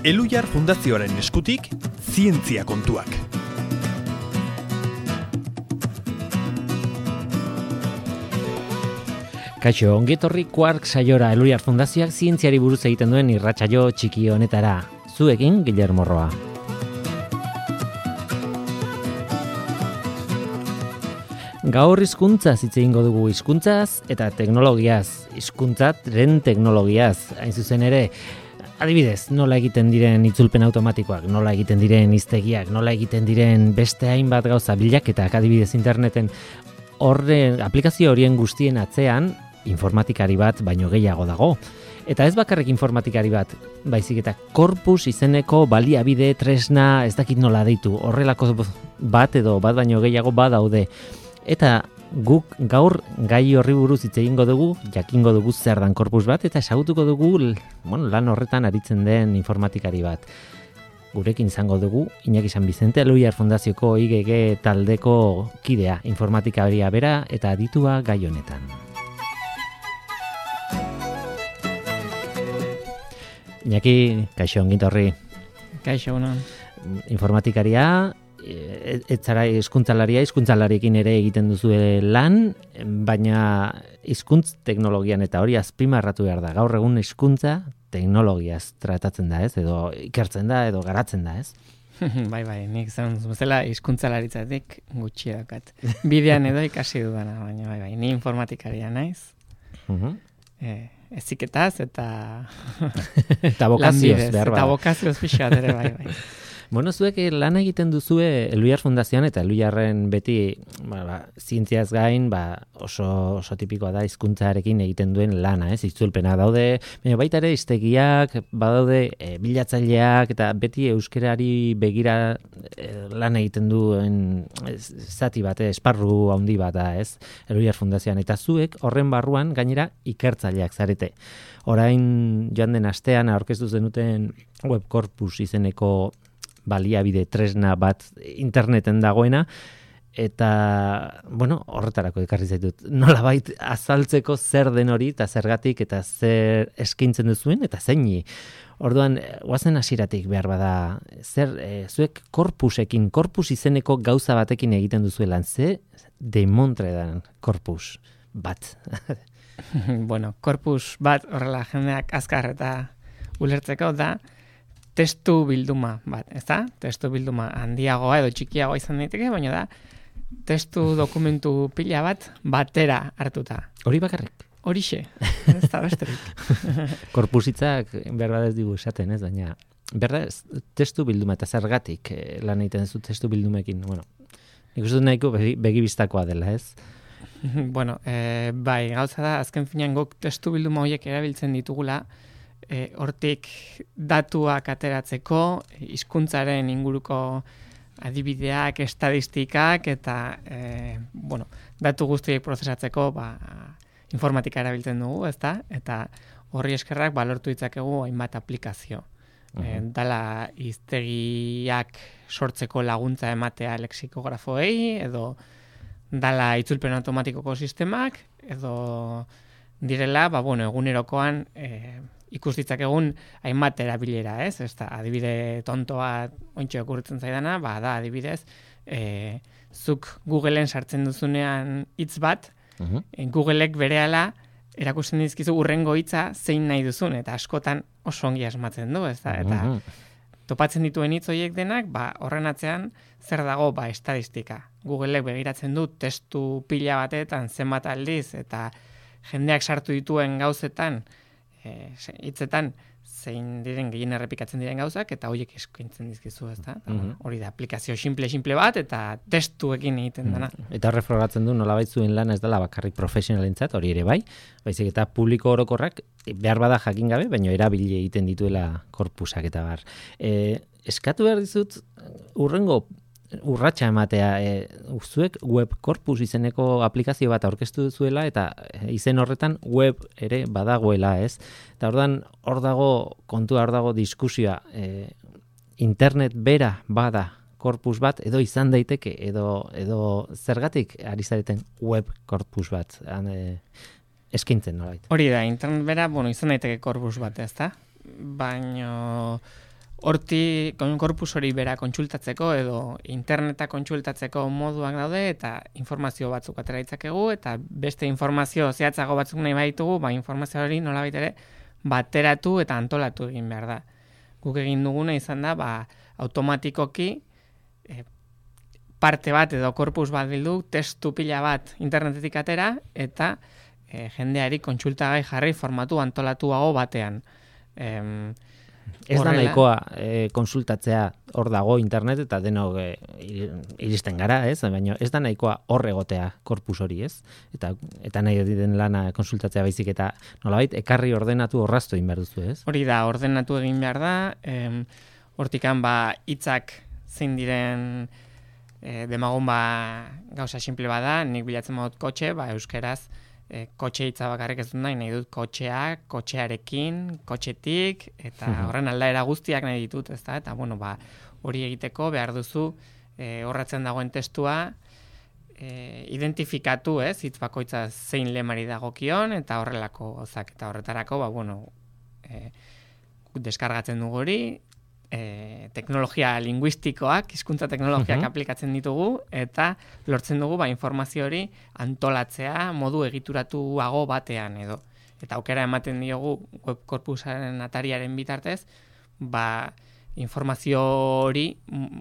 Elhuyar Fundazioaren eskutik, zientzia kontuak. Kaixo, ongetorri Quark saiora Elhuyar Fundazioak zientziari buruz egiten duen irratsaio txiki honetara. Zuekin, Guillermo Roa. Gaur hizkuntzaz hitz egingo dugu, hizkuntzaz eta teknologiaz, hizkuntzaren teknologiaz, hain zuzen ere, adibidez, nola egiten diren itzulpen automatikoak, nola egiten diren hiztegiak, nola egiten diren beste hainbat gauza bilaketak, adibidez interneten aplikazio horien guztien atzean informatikari bat baino gehiago dago. Eta ez bakarrik informatikari bat, baizik eta corpus izeneko baliabide, tresna, ez dakit nola deitu, horrelako bat edo bat baino gehiago badaude. Eta guk gaur gai horri buruz hitz egingo dugu, jakingo dugu zer dan corpus bat, eta ezagutuko dugu lan horretan aritzen den informatikari bat. Gurekin izango dugu Iñaki San Vicente, Elhuyar Fundazioko IGG taldeko kidea, informatikaria bera eta aditua gai honetan. Iñaki, kaixo ongitorri. Kaixo, unan. Informatikaria, ez zara hizkuntzalariekin ere egiten duzue lan, baina hizkuntz teknologian eta hori azpimarratu behar da. Gaur egun hizkuntza teknologiaz tratatzen da, ez? Edo ikertzen da, edo garatzen da, ez? Bai, nik zan bezala hizkuntzalaritzatik gutxi daukat. Bidean edo ikasi dudana, baina bai, ni informatikaria naiz. Eziketaz eta eta bokazioz behar eta bokazioz pixat ere, bai. Bueno, zuek lan egiten duzue Elhuyar Fundazioan eta Elhuyarren beti zientziaz gain oso tipikoa da hizkuntzarekin egiten duen lana, ez? Itzulpena daude, baina baita ere hiztegiak, badaude bilatzaileak eta beti euskerari begira lan egiten duen zati bat, esparru handi bat da, ez? Elhuyar Fundazioan eta zuek horren barruan gainera ikertzaileak zarete. Orain joan den astean aurkeztu zenuten web corpus izeneko baliabide tresna bat interneten dagoena, eta, horretarako ekarri zaitut. Nolabait azaltzeko zer den hori, eta zergatik, eta zer eskaintzen duzuen, eta zeini. Orduan, guazen hasieratik behar bada, zuek corpus izeneko gauza batekin egiten duzuelan, ze demontre dan corpus bat. Corpus bat horrela jendeak azkar eta ulertzeko da, testu bilduma bat, ezta? Testu bilduma handiagoa edo txikiagoa izan daiteke, baina da testu dokumentu pila bat batera hartuta. Hori bakarrik? Horixe, ez da besterik. Korpusitzak behar bat ez digu esaten, ez? Baina, behar da testu bilduma eta zergatik lan egiten zu testu bildumekin. Nik uste nahiko begibistakoa dela, ez? Bai, gauza da, azken finean guk testu bilduma horiek erabiltzen ditugula, hortik datuak ateratzeko, hizkuntzaren inguruko adibideak, estadistikak eta datu guztiek prozesatzeko informatika erabiltzen dugu, ezta? Eta horri eskerrak lortu ditzakegu hainbat aplikazio. Dala hiztegiak sortzeko laguntza ematea lexikografoei, edo dala itzulpen automatikoko sistemak, edo direla, egunerokoan ikus ditzakegun hainbat erabilera, ez? Adibide tontoa ontsa okurritzen zaidana, da adibidez, zuk Googleen sartzen duzunean hitz bat, Googleek berehala erakusten dizkizu hurrengo hitza zein nahi duzun, eta askotan oso ongi asmatzen du, ez da? Eta topatzen dituen hitz horiek denak, horren atzean zer dago, estadistika. Googleek begiratzen du testu pila batetan zenbat aldiz, eta jendeak sartu dituen gauzetan, hitzetan zein diren gehien errepikatzen diren gauzak, eta horiek eskaintzen dizkizu, ezta? Hori da aplikazio simple bat, eta testuekin egiten dena. Eta horre frogatzen du nolabait zuen lana ez dela bakarrik profesionalentzat, hori ere bai, baizik eta publiko orokorrak behar bada jakin gabe, baina erabili egiten dituela korpusak eta bar. Eskatu behar dizut, urrengo urratsa ematea, zuek web corpus izeneko aplikazio bat aurkeztu duzuela eta izen horretan web ere badagoela, ez? Eta hor dago diskusioa, internet bera bada corpus bat edo izan daiteke edo zergatik ari zareten web corpus bat eskaintzen nolait. Hori da, internet bera, izan daiteke corpus bat, ezta? Baina horti korpus hori bera kontsultatzeko edo interneta kontsultatzeko moduak daude eta informazio batzuk atera ditzakegu eta beste informazio zehatzago batzuk nahi baditugu, informazio hori nolabait ere bateratu eta antolatu egin behar da. Guk egin duguna izan da, automatikoki parte bat edo korpus bat bildu, testu pila bat internetetik atera eta jendeari kontsultagai jarri formatu antolatuago batean. Ez da nahikoa konsultatzea hor dago internet eta denok iristen gara, ez? Baina ez da nahikoa hor egotea korpus hori, ez? Eta nahi den lana konsultatzea baizik eta nolabait ekarri ordenatu orraztu egin behar duzu, ez? Hori da, ordenatu egin behar da, hortikan hitzak zein diren demagun gauza simple bada, nik bilatzen modut kotxe, euskeraz, kotxe hitza bakarrik ez dut nahi dut kotxea, kotxearekin, kotxetik, eta horren aldaera guztiak nahi ditut, ezta? Eta, hori egiteko behar duzu horratzen dagoen testua identifikatu, ez? Hitz bakoitza zein lemari dagokion, eta horrelako gozak, eta horretarako, deskargatzen dugu hori, teknologia linguistikoak, hizkuntza teknologiak aplikatzen ditugu eta lortzen dugu informazio hori antolatzea modu egituratuago batean edo. Eta aukera ematen diogu web korpusaren atariaren bitartez, informazio hori,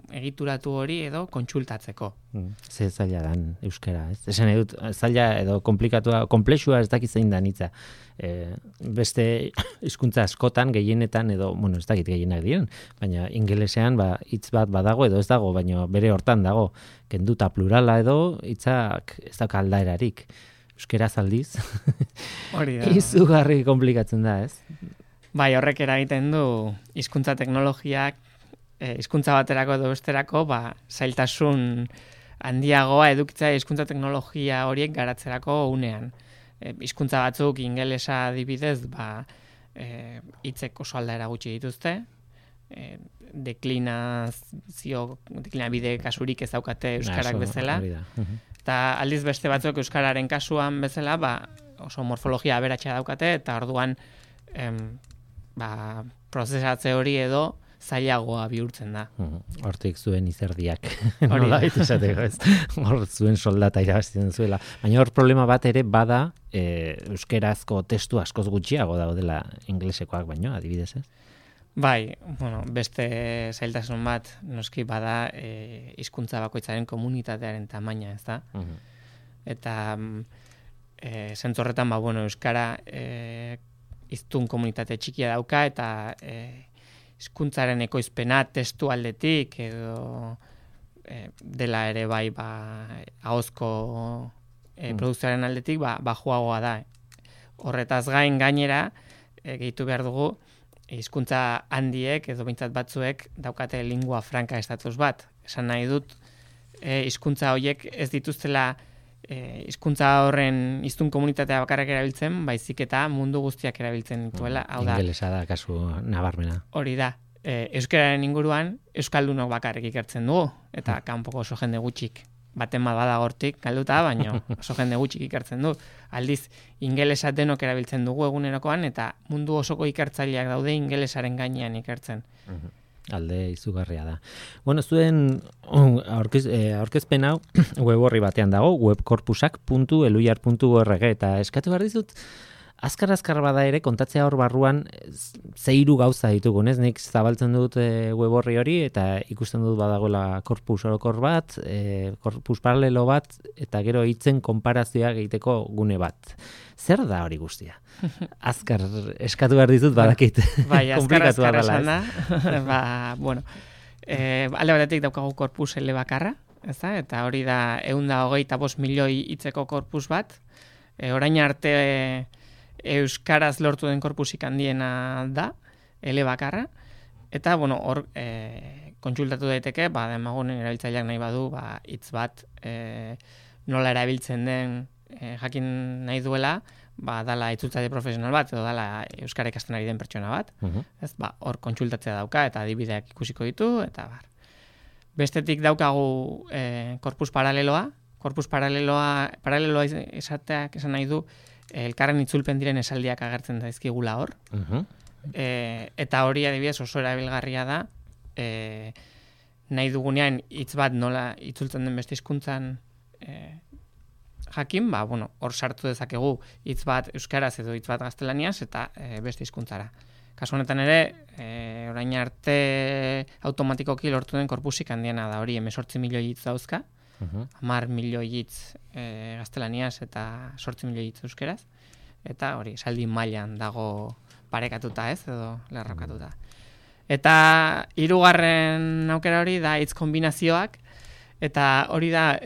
egituratu hori edo kontsultatzeko. Ze zaila dan euskara, ez? Esan edut, zaila edo komplikatua, komplexua ez dakit zein dan hitza. Beste hizkuntza askotan, gehienetan edo, ez dakit gehienak diren, baina ingelesean hitz bat badago edo ez dago, baina bere hortan dago, kenduta plurala edo hitzak ez dauka aldaerarik. Euskara aldiz, izugarri komplikatzen da, ez? Horrek eragiten du hizkuntza teknologiak, hizkuntza baterako edo besterako, zailtasun handiagoa edukitzea hizkuntza teknologia horiek garatzerako unean. Hizkuntza batzuk ingelesa adibidez, hitzek oso aldaera gutxi dituzte, deklinabide kasurik ez daukate euskarak bezala, eta aldiz beste batzuk euskararen kasuan bezala, oso morfologia aberatsa daukate, eta orduan prozesatze hori edo zailagoa bihurtzen da. Hortik zuen izerdiak. Nola baitu esateko, ez? Hor zuen soldata irabazten zuela. Baina hor problema bat ere bada euskerazko testu askoz gutxiago daudela inglesekoak baino, adibidez, ez? Beste zailtasun bat noski bada hizkuntza bakoitzaren komunitatearen tamaina, ez da? Eta zentzu horretan, euskara hiztun komunitate txikia dauka eta hizkuntzaren ekoizpena testu aldetik edo dela ere ahozko produkzioaren aldetik bajuagoa da. Horretaz gainera gehitu behar dugu hizkuntza handiek edo behintzat batzuek daukate lingua franca estatus bat. Esan nahi dut hizkuntza horiek ez dituztela hizkuntza horren hiztun komunitatea bakarrak erabiltzen, baizik eta mundu guztiak erabiltzen dituela. Ingelesa da kasu nabarmena. Hori da. Euskararen inguruan euskaldunok bakarrik ikertzen dugu, eta kanpoko oso jende gutxik baten bada hortik galduta, baina oso jende gutxik ikertzen du. Aldiz, ingelesa denok erabiltzen dugu egunerokoan, eta mundu osoko ikertzaileak daude ingelesaren gainean ikertzen. Alde izugarria da. Zuen aurkezpen hau web horri batean dago, webkorpusak.eluyar.org, eta eskatu behar dizut, azkar bada ere kontatzea hor barruan zeiru gauza ditugun, ez? Nik zabaltzen dut web horri hori, eta ikusten dut badagoela korpus orokor bat, korpus paralelo bat, eta gero hitzen konparazioa egiteko gune bat. Zer da hori guztia? Azkar eskatu behar dizut badakit. Azkar esan da. Alde batetik daukagu korpus elebakarra, eta hori da 125 milioi hitzeko korpus bat. Orain arte euskaraz lortu den korpusik handiena da, elebakarra. Eta, hor kontsultatu daiteke, demagun erabiltzaileak nahi badu, hitz bat nola erabiltzen den jakin nahi duela, dala itzultzaile profesional bat, edo dala euskara ikasten ari den pertsona bat. Hor kontsultatzea dauka, eta adibideak ikusiko ditu, eta bestetik daukagu korpus paraleloa. Korpus paraleloa esateak esan nahi du, elkarren itzulpen diren esaldiak agertzen daizkigula hor. eta hori adibidez oso erabilgarria da, nahi dugunean hitz bat nola itzultzen den beste hizkuntzan jakin, hor sartu dezakegu hitz bat euskaraz edo hitz bat gaztelaniaz eta beste hizkuntzara. Kasu honetan ere, orain arte automatikoki lortu den korpusik handiena da hori, 18 milioi hitz dauzka, 10 milioi hitz gaztelaniaz eta 8 milioi hitz euskeraz, eta hori, esaldi mailan dago parekatuta edo lerrokatuta. Eta hirugarren aukera hori da hitz kombinazioak, eta hori da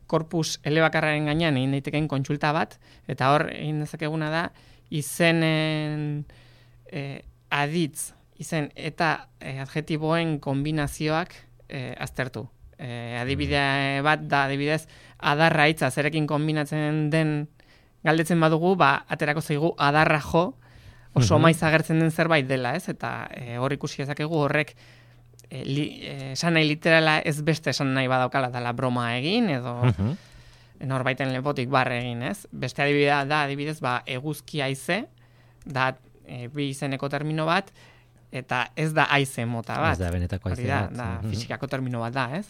korpus elebakarraren gainean egin daitekeen kontsulta bat, eta hor egin dezakeguna da izenen aditz, izen eta adjetiboen kombinazioak aztertu. Adibide bat da, adibidez, adarra hitza zerekin kombinatzen den galdetzen badugu, aterako zaigu adarra jo, oso maiz agertzen den zerbait dela, ez? Eta hor ikusi ezakegu horrek esan nahi literala ez beste esan nahi badaukala dela broma egin, edo norbaiten lepotik barre egin, ez? Beste adibidea da, adibidez, eguzki haize, da bi izeneko termino bat, eta ez da haize mota bat. Ez da benetako haize bat. Da fisikako termino bat da, ez?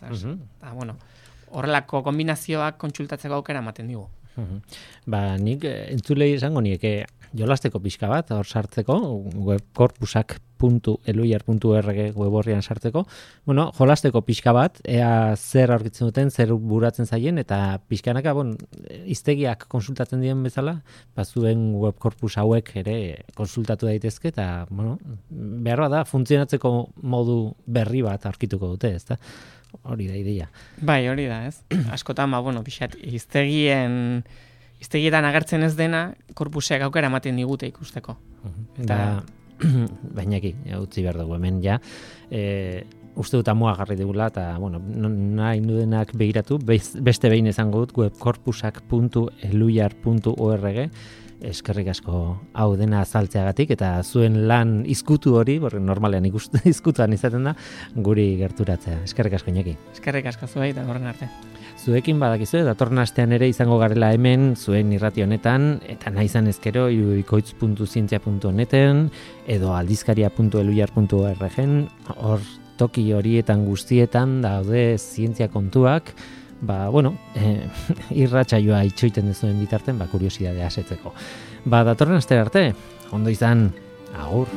Horrelako kombinazioak kontsultatzeko aukera ematen digu. Nik entzulei esango nieke jolasteko pixka bat, hor sartzeko, webcorpusak.eluiar.org web horrian sartzeko, jolasteko pixka bat, ea zer aurkitzen duten, zer buratzen zaien, eta pixkanaka, hiztegiak konsultatzen dien bezala, zuen webcorpus hauek ere konsultatu daitezke, eta, behar da, funtzionatzeko modu berri bat aurkituko dute, ezta? Hori da ideia. Bai, hori da, ez? Askotan, pixat, hiztegietan agertzen ez dena, korpuseak aukera ematen digute ikusteko. Bainaki, utzi behar dugu hemen, uste dut amua garri digula, eta, nahi nudenak begiratu, beste behin izango dut, webcorpusak.eluiar.org, eskerrik asko hau dena azaltzeagatik, eta zuen lan izkutu hori, normalean izkutuan izaten da, guri gerturatzea. Eskerrik asko, Iñaki. Eskerrik asko zuei, eta horren arte. Zuekin badakizue, datorren astean ere izango garela hemen, zuen irrati honetan, eta nahi izan ezkero, irubikoitz.zientzia.neten, edo aldizkaria.eluiar.org, hor toki horietan guztietan daude zientzia kontuak, irratsaioa itxoiten dezuen bitarten, kuriosidadea asetzeko. Datorren astera arte, ondo izan, agur.